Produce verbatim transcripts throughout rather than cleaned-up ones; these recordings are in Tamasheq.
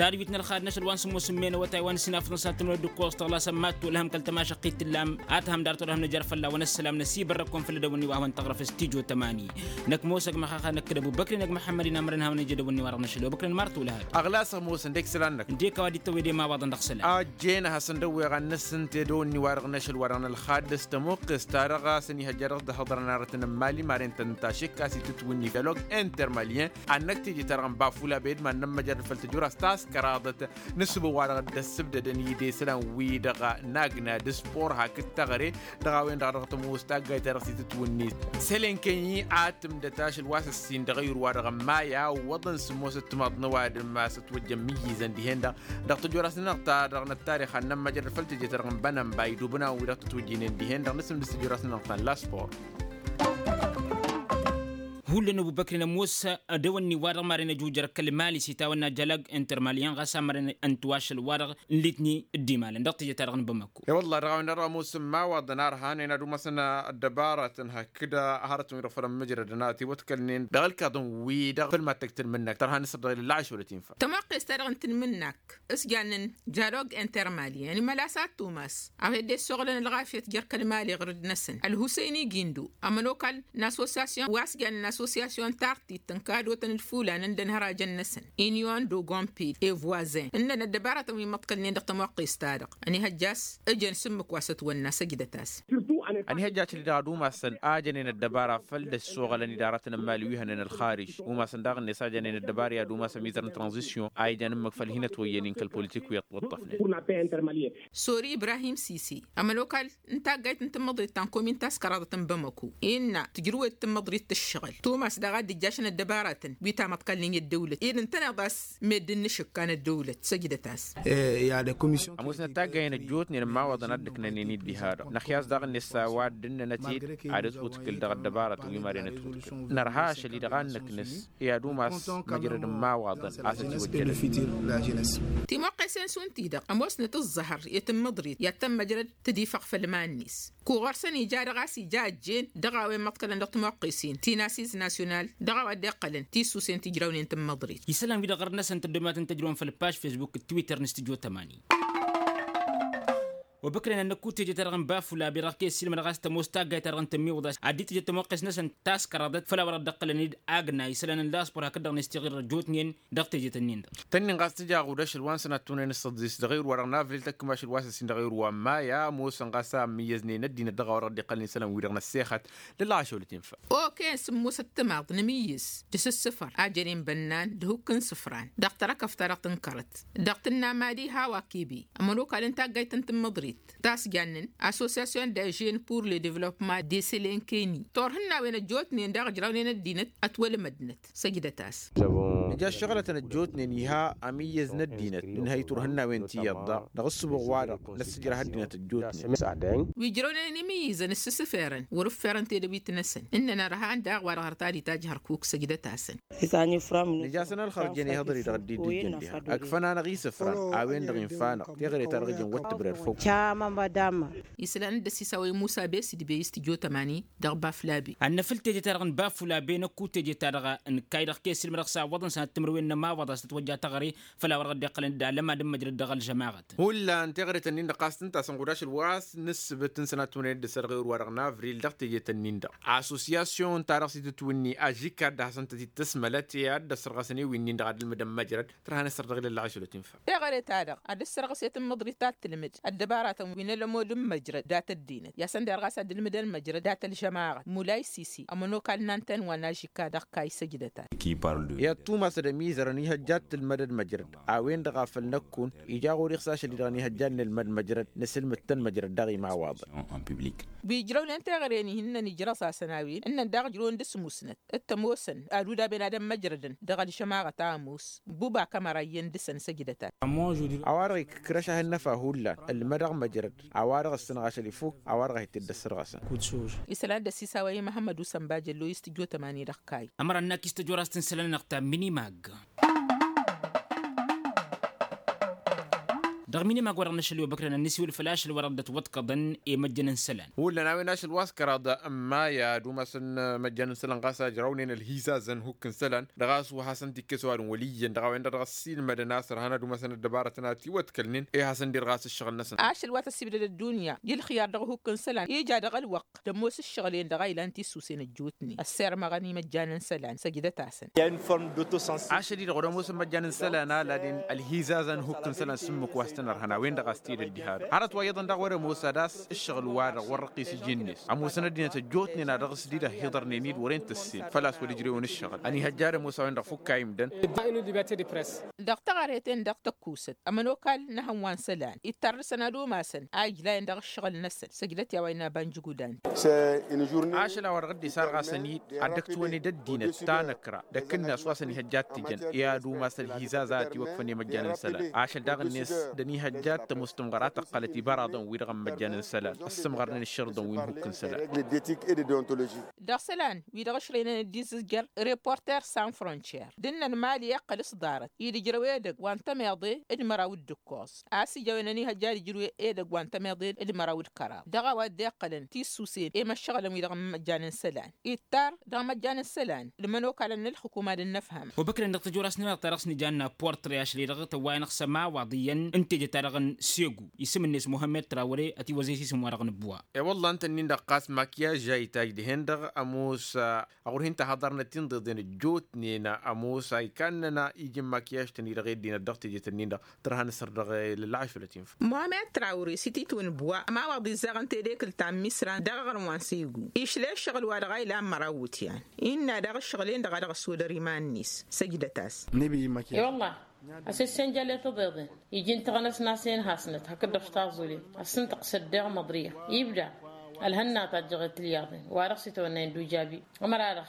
Tadwit n-ălxad n-ašăl wa n-sǝmmos n-imen awătay wa n-sinafăḍăn s-ad-tǝmrăw d-ǝkkoẓ tăɣlasăn mad-tolhăm kăl-tămašăqqit tǝllam ad-tăhăm dar tolhăm nǝjăr fălla-wen ăssălam năsibărrăk-wen făll-edăwănni wa hawăn-tăɣrăf stujo tămani. Năkk mos ăgg măxaxa năkk d-ăbubăkri n-ăgg măḥămmăd-in amărăn hawăn-ija edăwănni wa dăɣ-năšăl obăkren mar tolhad. Ăɣlas ămoos ǝndek isălan-năk ǝndek a-wa dd-tăwwed i-imawaḍăn dăɣ-isălan. Ăjjeen ad-hasăn-dăwweɣ ad-nǝssǝnt edăwănni wa dăɣ-năšăl wa dăɣ-nălxad s-tămuqqes-ta-dăɣ a-s ăniihăjja dăɣ-s dăɣ-htăḍărăn arătăn n-mali maren-tăn tašǝkka s-itǝtwǝnni dialog intermalien. Ad-năkk teje ta-dăɣ n-bafula bedman n-ămmăjrăd făll-tăjura s-taskăraḍăt n-ǝssǝbǝw-wa-dăɣ dd-ăssǝbdădăn idesălan-wi-dăɣ n-agna d-spor hakd teɣăre dăɣ-a-wen-dăɣ a dăɣ-tămoos taggayt-ta-dăɣ s-itǝtwǝnni sălenkăy-i ad-tǝmdăt ašăl wa s-ǝssin dăɣ-eyru-wa-dăɣ n-maya ǝwwăḍăn sǝmmos ǝttǝmaḍ n-ăwadǝm a-s ătwăjjăn imǝyyǝzăn dihen-dăɣ dăɣ-tăjora-s-nănăɣ ta dăɣ-năttarix ad-nămmăjrăd făll-teje-ta-dăɣ n-bănănbay d-ubǝnaw wi-dăɣ tǝtwǝjjǝynen dihen-dăɣ n-asǝm d-sǝjora-s-nănăɣ ta n-laspor. Hullan ăbubăkri n-ămoos dăwănni-wa-dăɣ maren ăjujăr kăl-mali s-itawănna jalag intermali-en ɣas amăren ǝnta wa ašăl-wa-dăɣ n-litni dd-imalăn dăɣ-teje-ta-dăɣ n-bamăko. E-wălla dăɣ-a-wen-dăɣ ămoos n-imawaḍăn arhan ăynadum-asăn ăddăbarătăn hakd hărătăn-wi-dăɣ făll-ămmǝjrădăn a ătiwăḍkălnen dăɣ-ălkaḍăn-wi-dăɣ făll-mad-tăg tǝnmǝnnak tărha n-asăr dăɣ-ilălla ašăwălăt infa. Tămoqqes-ta-dăɣ n-tǝnmǝnnak s-jannen jalog intermali ănimăla s-ad-tumas a-wa dd-ăssoɣlăn ălɣafyăt jer-kăl-mali ɣur-dd-năsăn ălhusăyni gindu ămănokal n-assosyasyon wa s-jannen assosyasyon tartit n-kadotăn d-fulan ǝndăn hărajăn-năsăn inyon d-ogompil evoisin ǝnnăn ăddăbarătăn wi măḍkălnen dăɣ-tămoqqes-ta-dăɣ ănihăjja a-s ǝjăn s-ǝmmǝk wa s-ătwănna săjdăt-as. Ănihăjja a-s ăjănen ăddăbara făll-dd-ăssoɣălăn idaratăn n-mali wi hănen ălxarij umasăn daɣ-net a jănen ăddăbara i-ad-umas ămizăr n-tranzisyon a ijăn ǝmmǝk făll-hin-ătwăyyăn-in kăl-politik wi ăṭṭăfnen. Sori ibrahim sisi ămănokal n-taggayt n-tǝmmăḍrit ta n-komin taskăraḍăt n-bamăko innă tǝjrǝwed tǝmmăḍrit tǝššăɣǝl tumas daɣ a dd-ǝjjašăn ăddăbaratăn wi tamăḍkalnen i-ăddăwlăt ed ǝntăneḍ a-s meddǝn n-ašǝkka n-ăddăwlăt săjdăt-as. Ămoosnăt taggayen ăjjootnen n-imawaḍăn a dd-ǝknănen i-dd-iha-dăɣ năxyas daɣ-net s-a-wa dd-ǝnnănăt-dd ad-ătwǝtkǝl dăɣ-ăddăbarătăn wi maren ătwǝtkǝl nărha ašăl-i-dăɣ ad-nǝknǝs i-ad-umas măjrăd n-imawaḍăn a-s ătiwăjjălăn. Timoqqesen šund-ti-dăɣ ămoosnăt ǝẓẓăhăr i-tǝmmǝḍrit i-ad-tămmăjrăd tădifăɣ făll-iman-net. Kuɣăr-săn ija-dăɣ a-s ija ăjjeen dăɣ-a-wen măḍkălăn dăɣ-timoqqesen ti n-asis nasyonal dăɣ-a-wa dd-iqqălăn tissusen tijrawnen tǝmmăḍrit. Isălan-wi-dăɣ ɣur-năsăn tăddomatăn tăjrăwăn făll-paž fesbuk d-twitter n-studyo tămani. Obăkren ad-năkku teje-ta-dăɣ n-bafula be-dăɣ kăy-ăssiilmădăɣ a-s tămoos taggayt-ta-dăɣ n-tămmiwǝḍ a-s ad-dd-tǝjăd tămoqqes-năsăn taskăraḍăt făll-a-wa dăɣ-dd-iqqălăn-dd agna isălan n-laspor hakd-dăɣ n-estiɣir ăjjootnen. Dăɣ-teje-tăn-in-dăɣ tănnin ɣas tǝja aɣud ašăl wa n-sănat tunăyăn s-tăḍḍis dăɣ-ewăr wa dăɣ-navlil tăkk mašăl wa s-ăssin dăɣ-ewăr wa n-maya ămoosăn ɣas a ămmǝyyăznen ăddinăt dăɣ-a-wa dăɣ-dd-iqqălăn isălan-wi-dăɣ n-ăssexăt. Lălla ašăwălăt infa. Okăyăn sǝmmosăt timaḍ nǝmǝyyǝz d-asǝssǝfăr a jănen bănnan d-ahukk n-isǝfran dăɣ-tărăkăft-ta-dăɣ tǝnkărăt dăɣ-tǝnna madi hawa kebe ămănokal n-taggayt n-tǝmmǝḍrit ta s-jannen association de jeune pour le developpement de sălenkeni turhǝnnawen ăjjootnen daɣ ǝjrawnen ăddinăt ătwălmădnăt. Săjdăt-as. Nǝja ăššăɣlătăn ăjjootnen iha ămǝyyăz n-ăddinăt nǝnhăy turhǝnnawen ti iyyăḍ daɣ dăɣ-ǝssǝbuɣ-wa-dăɣ năssǝjrăh ăddinăt ăjjootnen. Wi ǝjrăwnen imǝyyǝzăn ǝssǝsǝferăn wăr-ǝfferăn tedăwit-năsăn ǝnnăn ărhan daɣ wa-dăɣ hărăt ad-itajj hărkuk săjdăt-asăn. Nǝja-săn ălxărjăn ihǝḍri dăɣ-dd-dd-ǝjǝn diha ǝkfăn-anăɣ isǝfran a-wen-dăɣ infa-năɣ teɣăre-ta-dăɣ ǝjǝn wăr tǝbrer făw. Isălan dd-ăsisawăy musa besd bey s-tǝjo tămani dăɣ-baflabe. Ad-năfǝl teje-ta-dăɣ n-baflabe năkku teje-ta-dăɣ n-kay dăɣ-kăy-ăssiilmădăɣ s-awwăḍăn sănat timǝrwen n-ămawaḍ a-s tătwăjja teɣăre făll-a-wa dăɣ-dd-iqqălăn d-alămad n-măjrăd dăɣ-ălžămaɣăt. Hullan teɣăre-tăn-in-dăɣ ɣas tǝnta a-s ănɣud ašăl wa s-nǝssǝbǝt n-sănat timǝrwen d-ǝssa dăɣ-ewăr wa dăɣ-navril dăɣ-teje-tăn-in-dăɣ assosyasyon-ta-dăɣ s-itǝtwǝnni ažikad d-hasăn-tăt-dd-tăsmălăt i-ad-dd-ăssărɣăsăn i-winnin-dăɣ ad-ǝlmǝdăn măjrăd. Tărha n-asăr dăɣ-ilălla ašăl ătinfa. Teɣăre-ta-dăɣ ad-ăssărɣǝset n-măḍrit ta t-tǝlmǝd ăddăbaratăn wi n-ălămod n-măjrăd dat-ăddinăt i-ad-săn derɣas ad-ǝlmǝdăn măjrăd dat-ălžămaɣăt mulay sisi ămănokal n-anten wa n-ažikka dăɣ-kayy săjdăt-as. I-ad-tumasăd ămizărăn ihăjja ad-tǝlmădăd măjrăd a-wen-dăɣ a făl năkkun ija ɣur-i ɣas ašăl-i-dăɣ ănihăjja ad-nǝlmăd măjrăd nǝsǝlmǝd-tăn măjrăd daɣ imawaḍăn. Wi ǝjrăwnen teɣăre-ni hin-năn ijrăẓ-asăn a-wen ǝnnăn daɣ ǝjrăwăn d-asmusnăt d-tămoosăn ad-udaben ad-ămmăjrădăn dăɣ-ălžămaɣăt a ămoos. Buba kămăra iyyăn dăɣ-săn săjdăt-as. A-wa-dăɣ ikǝkrăš ahǝnnăfa hullan ǝlmădăɣ măjrăd a-wa-dăɣ ǝssǝnăɣ ašăl ifuk a-wa-dăɣ a hi-t-dd-ăssărɣăsăn. Isălan dd-ăsisawăy i-măhămmăd usănba jăllo i-s tǝjjo tămani dăɣ-kayy. Ămăra ǝnnak i-s tăjorăst n-isălan-năɣ ta minimag. Dăɣ-minimag wa-dăɣ n-ašăl i-obăkrăn ad-nǝsiwǝl făll-ašăl wa-dăɣ dd-ătwăḍkăḍăn i-măjjăn n-isălan. Hullan a-wen ašăl wa s-kăraḍ n-maya d-umasăn măjjăn n-isălan ɣas a ǝjrăwnen ălhizazăn n-hukk n-isălan dăɣ-a-s wa hasăn-t-ikkes ăwadǝm wăl' iyyăn dăɣ-a-wen-dăɣ dăɣ-ăssiilmădăn a-s ărhan ad-umasăn ăddăbarătăn a ătiwăḍkălnen i-hasăn-dd-irɣas ǝššăɣǝl-năsăn. Ašăl wa tăssibdăd ăddunya i-ǝlxiyar dăɣ-hukk n-isălan ija dăɣ-ălwăqq tămoos ǝššăɣǝl-en-dăɣ a ilan tisusen ăjjootnen ăssirmăɣăn i-măjjan n-isălan săjdăt-asăn. Ašăl-i-dăɣ wăr-ămoosăn măjjan n-isălan a ladin ălhizazăn n-hukk n-isălan s-ǝmmǝk wa s-tăn-ărhăn a-wen-dăɣ a-s tidăt diha-dăɣ hărăt wa iyyăḍăn daɣ wăr-ămoos ad-as ǝššăɣǝl-wa-dăɣ wăr răqqis iji-net ămoosăn ăddinăt ăjjootnen a dăɣ-s dd-ăhhiḍărnen-dd wăren tăssin făl-a-s wăr-ǝjrewăn ǝššăɣǝl ănihăjja ad-ămoos a-wen-dăɣ fukk a imdăn. Dăɣ-taɣărhet-en-dăɣ tăkkusăt ămănokal n-ehăn wa n-isălan ittar dăɣ-săn ad-umasăn a ijlayăn dăɣ-ǝššăɣǝl-năsăn săjdăt i-a-wa innă banjǝgudan. Ašăl a-wa dăɣ-dd-isarɣasăn-dd ad-dd-ăktuwăn-dd ăddinăt ta năkra d-akǝnnas wa s-ănihăjja ad-t-ǝjăn i-ad-umas ălhizaz a ătiwăkfăn i-măjjan n-isălan ašăl daɣ-net d-ănihăjja ad-tămoos tǝmɣăra tăqqălăt ibăraḍăn-wi-dăɣ n-măjjan n-isălan ăssǝmɣărnen ǝššărǝḍăn wi n-hukk n-isălan. Dăɣ-isălan wi-dăɣ ǝšrăynăn dd-izǝzjăr reporter san frontier d-ǝnnăn mali iqqăl s-ḍarăt-i d-ǝjrăw edăgg wa n-tămeḍe d-măraw d-ǝkkoẓ a-s ija a-wen ănihăjja ad-ǝjrǝw edăgg wa n-tămeḍe d-măraw d-kăraḍ dăɣ-a-wa dd-iqqălăn tisusen i-imăššăɣǝlăn-wi-dăɣ n-imăjjan n-isălan ittar dăɣ-imăjjan n-isălan d-imănokalăn n-ǝlxǝkum ad-dd-nǝfhăm. Obăkrăn dăɣ-tăjorasnăt-nănăɣ ta dăɣ-s nǝjanna portre ašăl-i-dăɣ tăwwayăn ăxsămawaḍ iyyăn n-teje-ta-dăɣ n-segu isǝm-net muhămmed trawăre ătiwăzăy s-isǝm-wa-dăɣ n-ǝbbuwa. E-wălla ǝnta-nin-dăɣ ɣas makyaj a itaj dihen-dăɣ ămoos ăɣur-hin-tăhaḍărnăt tinḍeḍen ăjjootnen ămoos a ikannăn iji n-makyaj-tăn-i-dăɣ i-ăddinăt dăɣ-teje-tăn-in-dăɣ tărha n-asăr dăɣ-e lălɣašălăt infa. Muhămmed trawăre s-ititwǝn ǝbbuwa ămawaḍ izzăɣăn tedekǝlt ta n-misran dăɣ-aɣrǝm wa n-segu išla i-ǝššăɣǝl-wa-dăɣ a ilan măraw iwǝtyan innă daɣ ǝššăɣǝl-en-dăɣ a dăɣ-ăssodăr iman-net. Săjdăt-as. E-wălla a-s ăssănjăl i-tăḍeḍen iji n-taɣnăs n-asen hasnăt hakd-dăɣ taẓulen ăssǝntăɣ s-ăddeɣ măḍriya ibda ălhănna tajjăɣet ilyaḍen wa dăɣ-s itawănna indujabi ămăra-dăɣ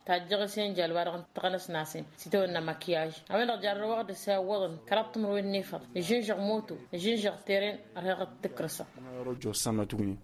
tajjăɣ isănjăl wa dăɣ-taɣnăs n-asen s-itawănna makyaj a-wen-dăɣ jarrăwăɣ d-asawwăḍăn kăraḍ timǝrwen n-efăḍ ǝžžǝnžăɣ moto ǝžžǝnžăɣ teren ărheɣ d-tǝkrǝsăɣ.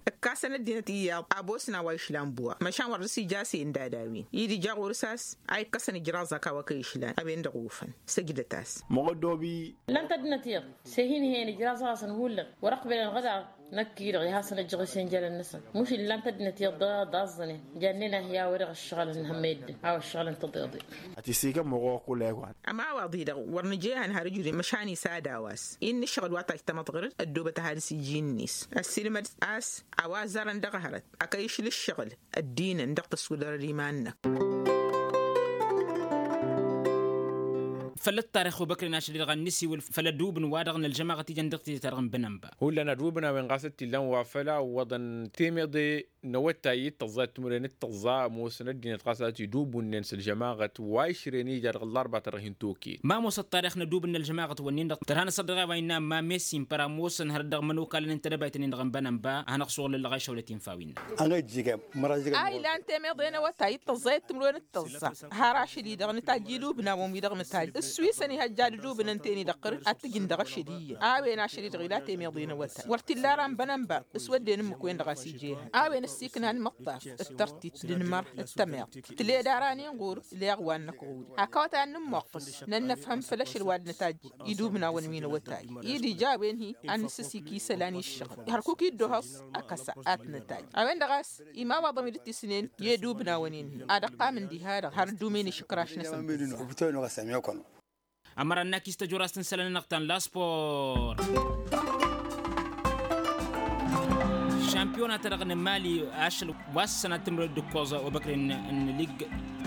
Ǝkkasăn ăddinăt iyyăḍ abosna wa išlan buwa măšan wăr dăr-s ija a-s e-ǝndad a-wen-i d-ija ɣur-s a-s a ikkăsăn ijraẓ ăkawăkăy išlan a-wen-dăɣ ofăn. Săjdăt-as. Măɣăddobi. Lăn-t ăddinăt iyyăḍ s-e-hin-hen ijraẓ-asăn hullan wăr-ăqbelăn ɣǝd-aɣ năkk-i-dăɣ i-hasăn-ăjjăɣ isănjălăn-năsăn mušǝl lăn-t ăddinăt iyyăḍ dăɣ-aẓẓănen jannen ahi a-wa dăɣ-ăššăɣǝlăn hămmăyăddǝn a-wa ăššăɣǝlăn tăḍeḍe. Ătissikăm oɣoɣ kull-e-wa. Ămawaḍ-i-dăɣ wăr nǝja ehăn har ǝjudǝn măšan isad a-wa s-innă ǝššăɣǝl wa tajj tamăḍɣărăd ăddoobăt ad-has-iji-net ăssiilmăd a-s a-wa ăzzarăn dăɣ-hărăt ăkăy-išǝl ǝššăɣǝl ăddinăn dăɣ-tăssudărăd iman-năk. Făll-ăṭṭarix obăkren ašăl-i-dăɣ ad-nǝsiwǝl făll-ădubǝn wa-dăɣ n-ălžămaɣăt ijăn dăɣ-tizǝt-ta-dăɣ n-bănănba. Hullan ădubǝn a-wen ɣas ăttillan wa făll-a ǝwwăḍăn temeḍe n-awătay d-tăẓẓa d-timǝrwen d-tăẓẓa ămoosăn ăddinăt ɣas a ătidubǝnnen s-ălžămaɣăt wa išrăyăn ija dăɣ-ăllarba ta dăɣ-hin-toket. Ma ămoos ăṭṭarix n-ădubǝn n-ălžămaɣăt-wǝnnin-dăɣ tărha n-asăr dăɣ-e-wa innă ămma messi n-păra ămoosăn hărăt dăɣ-imănokalăn n-tedăbayt-nin-dăɣ n-bănănba ad-hanăɣ-suɣǝl ăllăɣ a išăwlăt infa wi-innă. A ilan temeḍe n-awătay d-tăẓẓa i-timǝrwen d-tăẓẓa har ašăl-i-dăɣ nǝtajj idubnawăn-wi-dăɣ nǝtajj ǝssuyǝsăn ihăjja d-idubnăn ten-i-dăɣ qărǝd ad-t-ǝjǝn dăɣ-ašăl iyyăn a-wen ašăl-i-dăɣ ila temeḍe n-awătay wăr t-illa ara n-bănănba s-wădden ǝmmǝk-wen-dăɣ a-s ija ehăn a-wen ăssiiknan măṭṭaf d-tărtit d-inmăr d-tămeḍt tǝled ara n-inɣur leɣ wa n-năkk ɣur-i hak awătay ad-nǝmmoqqǝs nănnăfhăm făll-ašăl wa d-nǝtajj idubnawăn wi n-awătay i-dd-ija a-wen-hi ad-nǝssǝsik isălan i-ǝššăɣǝl hărkuk-i dd-ohăẓ ăkăsa ad-t-nǝtajj a-wen-dăɣ a-s imawaḍăn wi dd-tisnen i-edubnawăn-in-hi ad-ăqqamǝn diha-dăɣ har dd-umen išǝkraš-năsăn. Ămăra ănnak-i s-tăjorast n-isălan-nănăɣ ta n-laspor. Šampiyona-ta-dăɣ n-mali ašăl wa s-sănat timǝrwen d-ǝkkoẓ obăkren n-lig.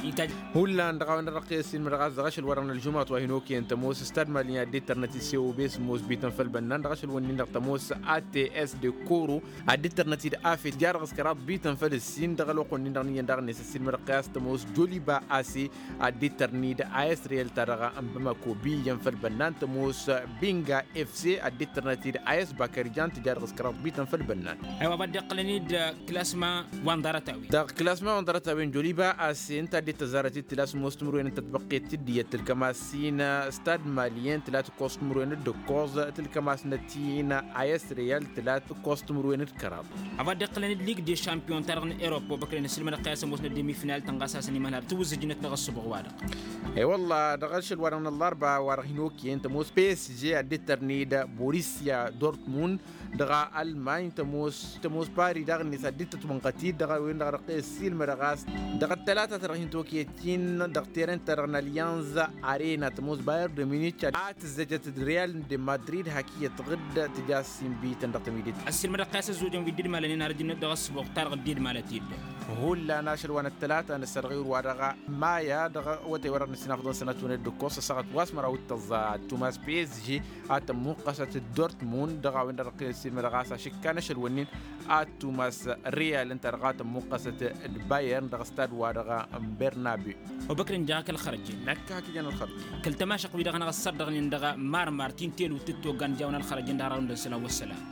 Itaj. Hullan dăɣ-a-wen-dăɣ iqqes-in mădăɣ-as dăɣ-ašăl-wa-dăɣ n-ălžumăɣăt wa hin-okăyăn tămoos stad mali a dd-ittărnăt-dd s-e-obes ămoos bităn făll-bănnan dăɣ-ašăl-wǝnnin-dăɣ tămoos ats de koro a dd-ittărnăt-dd afet ja-dăɣ s-kăraḍ bităn făll-ǝssin dăɣ-ălwăqq-wǝnnin-dăɣ n-iyyăn daɣ-net ăssiilmădăɣ-t i-a-s tămoos joliba ase a dd-ittărnǝy d-a s real-ta-dăɣ n-bamako bi iyyăn făll-bănnan tămoos binga fc a dd-ittărnăt-dd a s bakărijan tǝja dăɣ-s kăraḍ bităn făll-bănnan. A-wa dd-iqqălăn-dd klasma wa n-ḍarăt-a-wen. Dăɣ-klasma wa n-ḍarăt-a-wen joliba a-s ǝnta a dd-tăzzarăt-dd tǝla s-ămoos timǝrwen n-tătbăqqet tiddǝyăt tǝlkămas-in. Stad malyen tǝla tǝkkoẓ timǝrwen d-ǝkkoẓ tǝlkămas-năt-in. Ayăs reyal tǝla tǝkkoẓ timǝrwen d-kăraḍ. A-wa dd-iqqălăn-dd lig de šampiyon-ta-dăɣ n-erop wa băkrăyăn ăssilmădăɣ-t i-a-s ămoosnăt d-emifnal tănɣas a-s ănimănhal tǝwǝzzǝjnăt dăɣ-ăṣṣubuɣ-wa-dăɣ. E-wălla dăɣ-ašăl-wa-dăɣ n-ăllarba wa dăɣ-hin-okăyăn tămoos psg a dd-tărned borisia dortmund dăɣ-almany tămoos tămoos pari daɣ-net a dd-tătwănɣăt-dd dăɣ-a-wen-dăɣ a dăɣ-t-ăssiilmădăɣ a-s dăɣ-ăttălata-ta-dăɣ hin-tokăyăt-in dăɣ-teren-ta-dăɣ n-alyanz arena tămoos bayer de munich a tǝzzăjăt d-real de madrid hak iyyăt ɣǝdd tǝja s-inbităn dăɣ-tămidit. Ăssiilmădăɣ-t a-s ăzzojăn wi dd-idmalănen har ǝjǝnnăt dăɣ-ăṣṣubuɣ-ta-dăɣ dd-idmalăt-dd. Hullan ašăl wa n-ăttălata n-ăssărɣ i-ur-wa-dăɣ maya dăɣ-awătay-wa-dăɣ n-ăssinafăḍăn sănăt-wen dd-ǝkkoẓ ăssaɣăt wa s-măraw d-tăẓẓa ăttumas psg a tămmuqqăsăt d-dortmund dăɣ-a-wen-dăɣ ăqqǝlăt s-ilmădăɣ a-s ašǝkka n-ašăl-wǝnnin ăttumas real ǝnta-dăɣ a tămmuqqăsăt d-bayern dăɣ-stad-wa-dăɣ n-bernabe. Obăkr-in jaɣ-ak ălxărăj-in. Năkk hak ijăn ălxărăj-in. Kăl-tămašăq-wi-dăɣ a năɣ-ăssărdăɣnen dăɣ-marmar ti n-telwǝt tǝttogan jawăn ălxărăj-in dăɣ-arăw n-dăɣ-isălan wăssălam.